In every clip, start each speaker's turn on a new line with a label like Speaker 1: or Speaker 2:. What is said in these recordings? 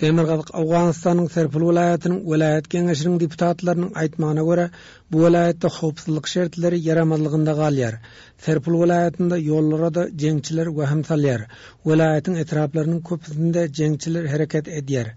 Speaker 1: Demirgazyk Owganystanyň Serpul welaýatynyň welaýat geňeşiniň deputatlarynyň aýtmagyna görä, bu welaýatda howpsuzlyk şertleri ýaramazlygynda galýar. Serpul welaýatynda ýollara-da jeňçiler wehim salýar. Welaýatyň etraplarynyň köpüsinde jeňçiler hereket edýär.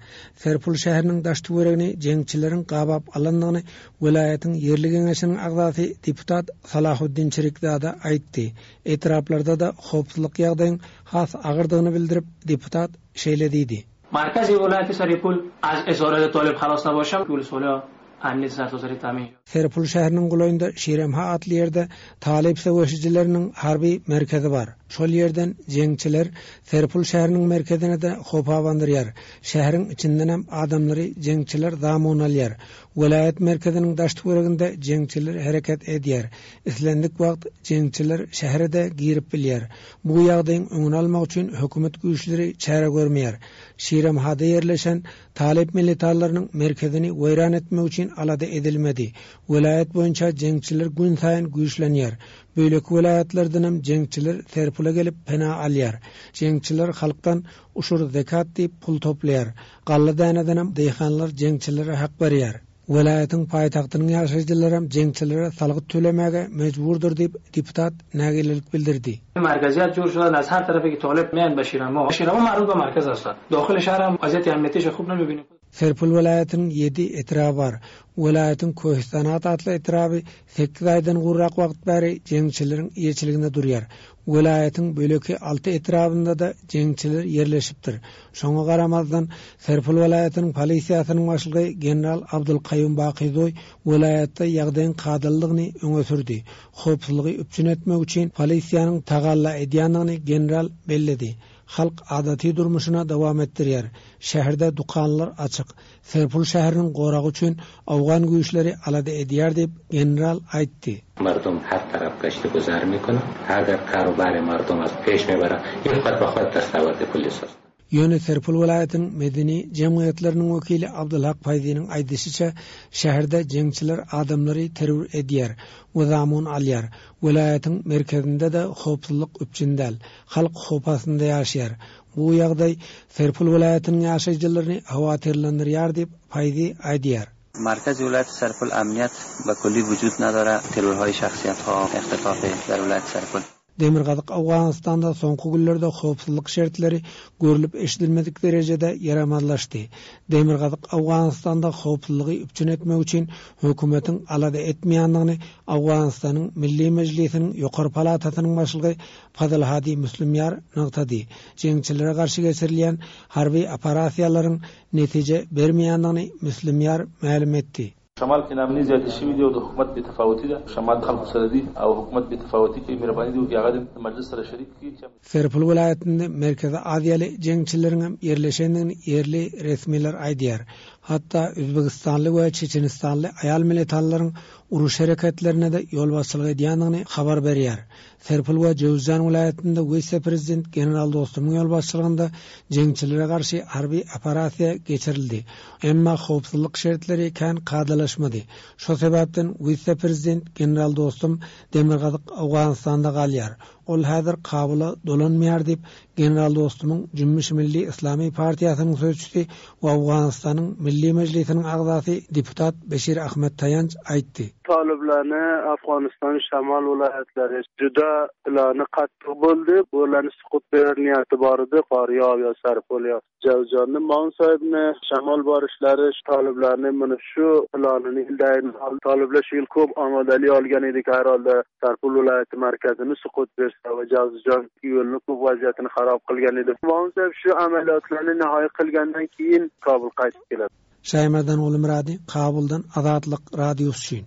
Speaker 1: Serpul şäheriniň daş-töweregini jeňçileriň gabap alandygyny welaýatyň ýerli geňeşiniň agzasy deputat Salahuddin Çirikzada aýtdy. Etraplarda-da howpsuzlyk ýagdaýyň has agyrdygyny bildirip, deputat şeýle diýdi.
Speaker 2: Markazi welaýaty Saripul az esorati tolib halos naboşam ülsolo amniyeti sartasary tamin.
Speaker 1: Serpul şäheriniň golaýynda Şiremha atly ýerde talyp söweşijileriniň harby merkezi bar. Şol ýerden jeňçiler Serpul şäheriniň merkezine-de howp abandyrýar. Şäheriň içindenem adamlary jeňçiler zamun alýar. Welaýat merkeziniň daş-töwereginde jeňçiler hereket edýär. Islendik wagt jeňçiler şähere-de girip bilýär. Bu ýagdaýyň öňüni almak üçin hökümet güýçleri çäre görmeýär. Şiremhada ýerleşen talyp militarlarynyň merkezini weýran etmek üçin alada edilmedi. Welaýat boýunça jeňçiler günsaýyn güýçlenýär. Beýleki welaýatlardanam jeňçiler Serpula gelip pena alýar. Jeňçiler halkdan uşur-zekat diýip pul toplaýar. Galla-dänedenem daýhanlar jeňçilere hak berýär. Welaýatyň paýtagtynyň ýaşaýjylaram jeňçilere salgyt tölemäge mejburdyr diýip, deputat nägilelik bildirdi.
Speaker 2: Markaziýat jor şudan az her tarafy ki tolib meýan ba Şiramo. Şiramo maruz ba markaz ast. Dahyl şahr ham waziýati amniýeti şe hub namibini.
Speaker 1: Serpil welaýatynyň ýedi etraby bar. Welaýatyň Köhistanat atly etraby sekiz aýdan gowrak wagt bäri jeňçileriň eýeçiliginde durýar. Welaýatyň beýleki alty etrabynda-da jeňçiler ýerleşipdir. Şoňa garamazdan, Serpil welaýatynyň polisiýasynyň başlygy general Abdulkaýum Bakyzoý welaýatda ýagdaýyň kadalydygyny öňe sürdi. Howpsuzlygy üpjün etmek üçin polisiýanyň tagalla edýändigini general belledi. Halk adaty durmuşyna dowam etdirýär. Şäherde dükanlar açyk. Serpul şäheriniň goragy üçin owgan güýçleri alada edýär diýip, general aýtdy.
Speaker 3: Mardum her tarap gaşty guzar mikunan, agar karu bary mardum az peş mibara, ýeh hod ba hod dastawardi polis ast.
Speaker 1: Ýöne Serpul welaýatynyň medeni jemgyýetleriniň wekili Abdulhak Faýziniň aýdyşyça, şäherde jeňçiler adamlary terror edýär we zamun alýar. Welaýatyň merkezinde-de howpsuzlyk üpjün däl. Halk howp astynda ýaşaýar. Bu ýagdaý Serpul welaýatynyň ýaşaýjylaryny howatyrlandyrýar diýip, Faýzi aýdýar.
Speaker 4: Markazi welaýaty Serpul amniýet be kulli wujud nadara, terrorhaýy şahsyýetha, ihtifafy der welaýaty Serpul.
Speaker 1: Demirgazyk Owganystanda soňky günlerde howpsuzlyk şertleri görlüp-eşidilmedik derejede ýaramazlaşdy. Demirgazyk Owganystanda howpsuzlygy üpjün etmek üçin hökümetiň alada etmeýändigini Owganystanyň Milli Mejlisiniň ýokary palatasynyň başlygy Fazylhadi Müslimýar nygtady. Jeňçilere garşy geçirilýän harby operasiýalaryň netije bermeýändigini Müslimýar mälim etdi.
Speaker 5: شمال کې ناامني زیاتې شوي دي او د حکومت بې تفاوتي ده، شمال د خلکو سره دي او حکومت بې تفاوتي کوي، مهرباني دې وکړي هغه دې د مجلس سره شریک کړي چې.
Speaker 1: Serpil welaýatynda Merkezi Aziýaly jeňçileriňem ýerleşendigini ýerli resmiler aýdýar. Hatda özbegistanly we çeçenistanly aýal militanlaryň uruş hereketlerine-de ýolbaşçylyk edýändigini habar berýär. Serpil we Jöwüzjan welaýatynda wise-prezident general Dostumyň ýolbaşçylygynda jeňçilere garşy harby operasiýa geçirildi. Emma howpsuzlyk şertleri kän kadalaşmady. Şo sebäpden wise-prezident general Dostum demirgazyk Owganystanda galýar. Ol häzir Kabula dolanmaýar diýip, General Dostumyň Jümmüş Milli Yslamy partiýasynyň sözçüsi we Owganystanyň Milli Mejlisiniň agzasy deputat Beşir Ahmed Taýanç aýtdy.
Speaker 6: Talyplany Afganystanyň şamal welaýatlary juda plany katdyk boldy. Bularny sukut berer niýeti bardy. Farýab ýa Sarpol ýa Jawzjanny Maun saýybyny şamal baryşlary talyplarny muny şu planyny ýyldaýyn talyplar şu ýyl köp amadali olgan edik her holda Sarpol welaýaty markazini sukut bersa we Jawzjan ýoluny köp waziýatyny harap kylgan edi. Maun saýyp şu amaliyatlarny nihoýa kylgandan keyin Kabul gaýtyp keladi.
Speaker 1: Şaýmerdan Gulmyrady, Kabuldan Azatlyk Radiosy üçin.